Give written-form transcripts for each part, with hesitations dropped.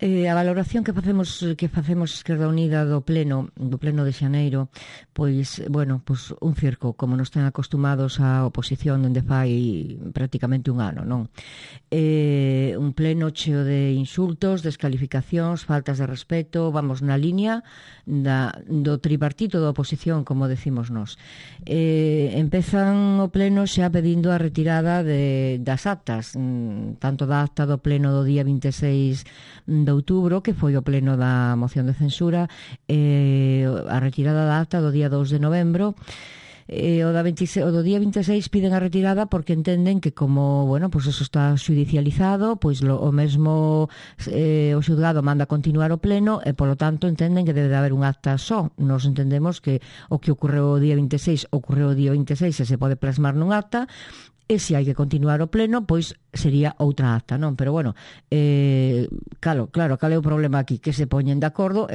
A valoración que facemos Esquerda Unida do pleno de xaneiro, pois, bueno, pois un circo, como nos ten acostumados a oposición dende fai prácticamente un ano, non? Un pleno cheo de insultos, descalificacións, faltas de respeto, vamos na liña do tripartito da oposición, como decimos nós. Empezan o pleno xa pedindo a retirada das actas, tanto da acta do pleno do día 26 de outubro, que foi o pleno da moción de censura, a retirada da acta do día 2 de novembro, o do día 26 piden a retirada porque entenden que como, bueno, pues eso está xudicializado, pois o mesmo o xulgado manda continuar o pleno e polo tanto entenden que debe de haber un acta só. Nos entendemos que o que ocorreu o día 26 ocorreu o día 26 e se pode plasmar nun acta, e se hai que continuar o pleno, pois sería outra acta, non? Pero bueno, claro, cal é o problema aquí? Que se poñen de acordo,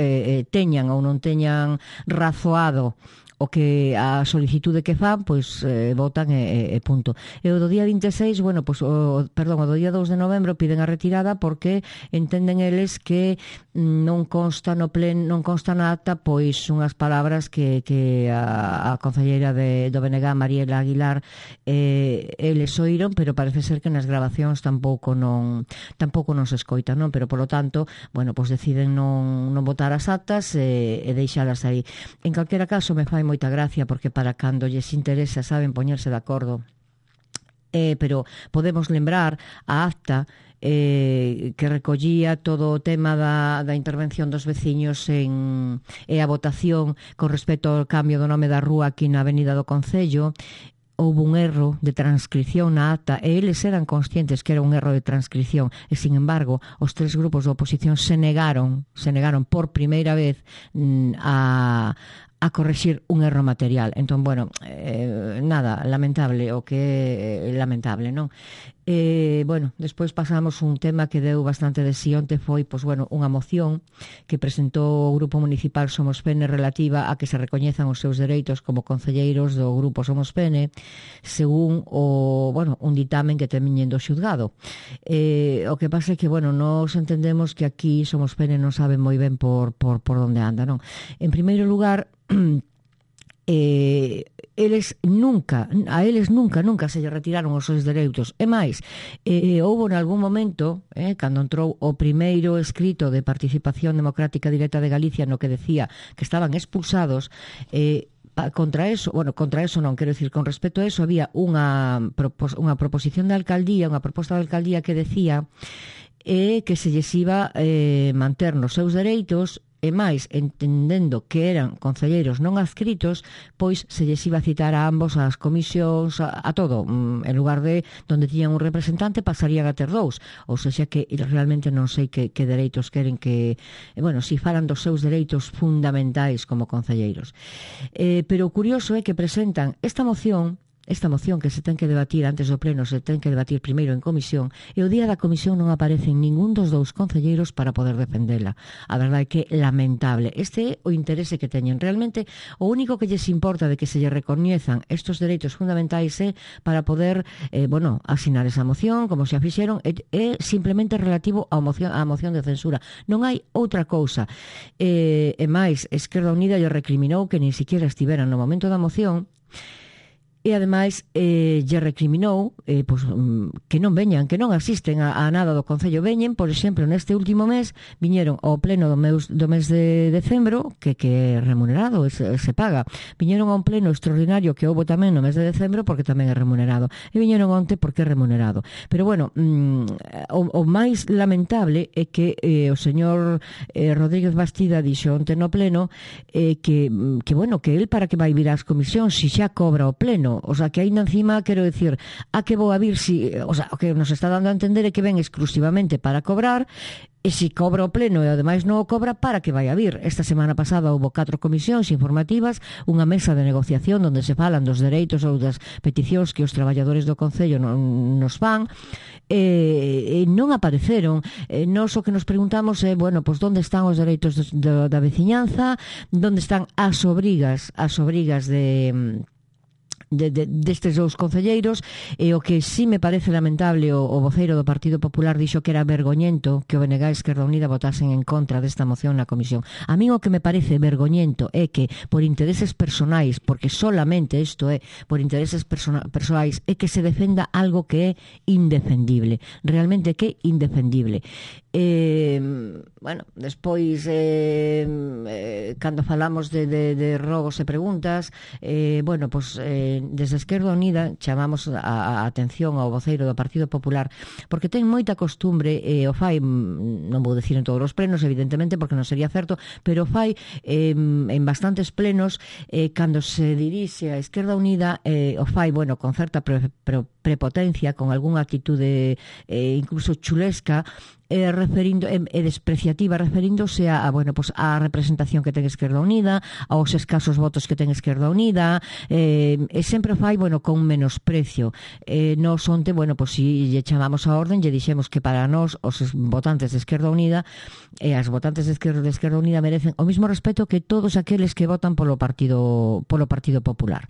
teñan ou non teñan razoado o que a solicitude que fan, pois votan e punto. E o do día 26, bueno, pois o do día 2 de novembro piden a retirada porque entenden eles que non consta no pleno, non consta na acta pois unhas palabras que a concelleira do BNG, Mariela Aguilar, eles oíron, pero parece ser que nas grabacións tampouco non se escoita, non? Pero polo tanto, bueno, pois deciden non votar as actas e deixalas aí. En calquera caso, me fai moita gracia porque para cando lles interesa saben poñerse de acordo, pero podemos lembrar a acta que recollía todo o tema da intervención dos veciños e a votación con respecto ao cambio do nome da rúa aquí na Avenida do Concello. Houve un erro de transcripción na acta e eles eran conscientes que era un erro de transcripción e, sin embargo, os tres grupos da oposición se negaron por primeira vez a correxir un erro material. Entón, bueno, nada, lamentable, o que é lamentable, non? Bueno, despois pasamos un tema que deu bastante de sí onte, foi, pois, bueno, unha moción que presentou o Grupo Municipal Somos Pene relativa a que se recoñezan os seus dereitos como concelleiros do Grupo Somos Pene según un ditamen que teñen do xulgado. O que pasa é que, bueno, nos entendemos que aquí Somos Pene non sabe moi ben por onde anda, non? En primeiro lugar, eles nunca se lle retiraron os seus dereitos. E máis, houve en algún momento, cando entrou o primeiro escrito de Participación Democrática Directa de Galicia, no que decía que estaban expulsados, contra eso non, quero dicir, con respecto a eso había unha proposición de alcaldía, unha proposta de alcaldía que decía que se lles iba manter nos seus dereitos. E máis, entendendo que eran concelleiros non adscritos, pois se lles iba a citar a ambos as comisións, a todo. En lugar de donde tiñan un representante, pasarían a ter dous. Ou seja, que realmente non sei que dereitos queren que... Bueno, si falan dos seus dereitos fundamentais como concelleiros. Pero o curioso é que presentan esta moción que se ten que debatir antes do pleno, se ten que debatir primeiro en comisión, e o día da comisión non aparecen ningún dos dous concelleiros para poder defendela. A verdade é que lamentable. Este é o interese que teñen. Realmente, o único que lles importa de que se lle recoñezan estos dereitos fundamentais é para poder, asinar esa moción, como se a fixeron, é simplemente relativo á moción de censura. Non hai outra cousa. E máis, Esquerda Unida lle recriminou que nin siquiera estiveran no momento da moción. E, ademais, lle recriminou que non veñan, que non asisten a nada do Concello. Veñen, por exemplo, neste último mes, viñeron ao pleno do mes de decembro, que é remunerado, se paga. Viñeron a un pleno extraordinario que houve tamén no mes de decembro, porque tamén é remunerado. E viñeron onte porque é remunerado. Pero, bueno, o máis lamentable é que o señor Rodríguez Bastida dixo onte no pleno que el para que vai vir ás comisións se xa cobra o pleno. O sea, que aí encima, quero dicir, a que vou a vir o que nos está dando a entender é que ven exclusivamente para cobrar, e se cobra o pleno e ademais non o cobra, para que vai a vir. Esta semana pasada houve 4 comisións informativas, unha mesa de negociación onde se falan dos dereitos ou das peticións que os traballadores do Concello nos fan, e non apareceron. Nós o que nos preguntamos é, pois onde están os dereitos da veciñanza, onde están as obrigas destes dous concelleiros, e o que sí me parece lamentable, o voceiro do Partido Popular dixo que era vergoñento que o BNG e Esquerda Unida votasen en contra desta moción na comisión. A mí o que me parece vergoñento é que por intereses personais, porque solamente isto é por intereses personais, é que se defenda algo que é indefendible, realmente que é indefendible. Bueno, despois cando falamos de rogos e preguntas, bueno, pois desde Esquerda Unida chamamos a atención ao voceiro do Partido Popular, porque ten moita costumbre, o fai, non vou dicir en todos os plenos, evidentemente, porque non sería certo, pero o fai en bastantes plenos, cando se dirixe a Esquerda Unida, o fai, bueno, con certa prepotencia, con algunha actitude incluso chulesca, referindo despreciativa, referíndose a bueno, pues a representación que ten Esquerda Unida, aos escasos votos que ten Esquerda Unida, e sempre fai, bueno, con menosprecio. Nos onte, bueno, pues si lle chamamos a orden, lle dixemos que para nós os votantes de Esquerda Unida e as votantes de Esquerda Unida merecen o mismo respeto que todos aqueles que votan polo Partido Popular.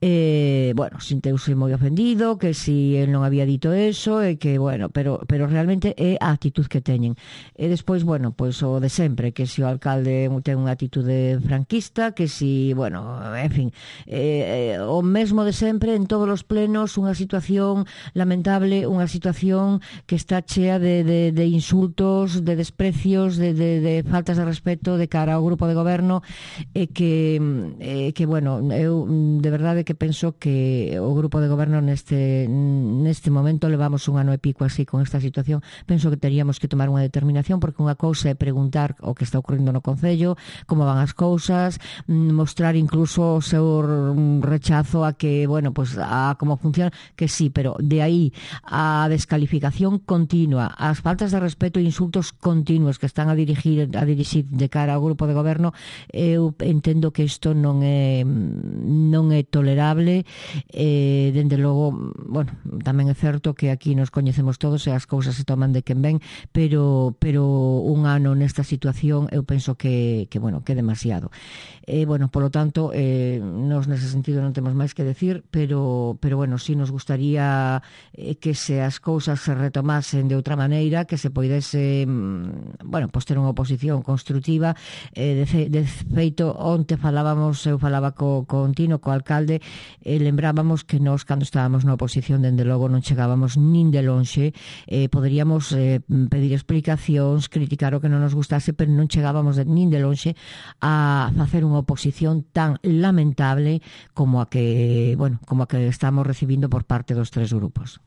Bueno, sinteuse moi ofendido, que si el non había dito eso, e que, bueno, pero realmente é a actitud que teñen. E despois, bueno, pois o de sempre, que si o alcalde ten unha actitude franquista, que si, bueno, en fin, o mesmo de sempre en todos os plenos, unha situación lamentable, unha situación que está chea de insultos, de desprecios, de faltas de respeto de cara ao grupo de goberno, e que bueno, eu de verdade que penso que o grupo de goberno neste momento, levamos un ano e pico así con esta situación, penso que teríamos que tomar unha determinación, porque unha cousa é preguntar o que está ocorrendo no Concello, como van as cousas, mostrar incluso o seu rechazo a que, bueno, pues a como funciona, que sí, pero de aí a descalificación continua, as faltas de respeto e insultos continuos que están a dirixir de cara ao grupo de goberno, eu entendo que isto non é tolerable. Dende logo, bueno, tamén é certo que aquí nos coñecemos todos e as cousas se toman de quen ven, pero un ano nesta situación eu penso que bueno, que é demasiado. Bueno, polo tanto, nos nese sentido non temos máis que decir, pero bueno, si nos gustaría que se as cousas se retomasen de outra maneira, que se poidese, bueno, pues ter unha oposición construtiva. De feito, onte eu falaba con Tino, co alcalde, lembrábamos que nós, cando estábamos na oposición, dende logo non chegábamos nin de lonxe, poderíamos pedir explicacións, criticar o que non nos gustase, pero non chegábamos nin de lonxe a facer unha oposición tan lamentable como a que estamos recibindo por parte dos tres grupos.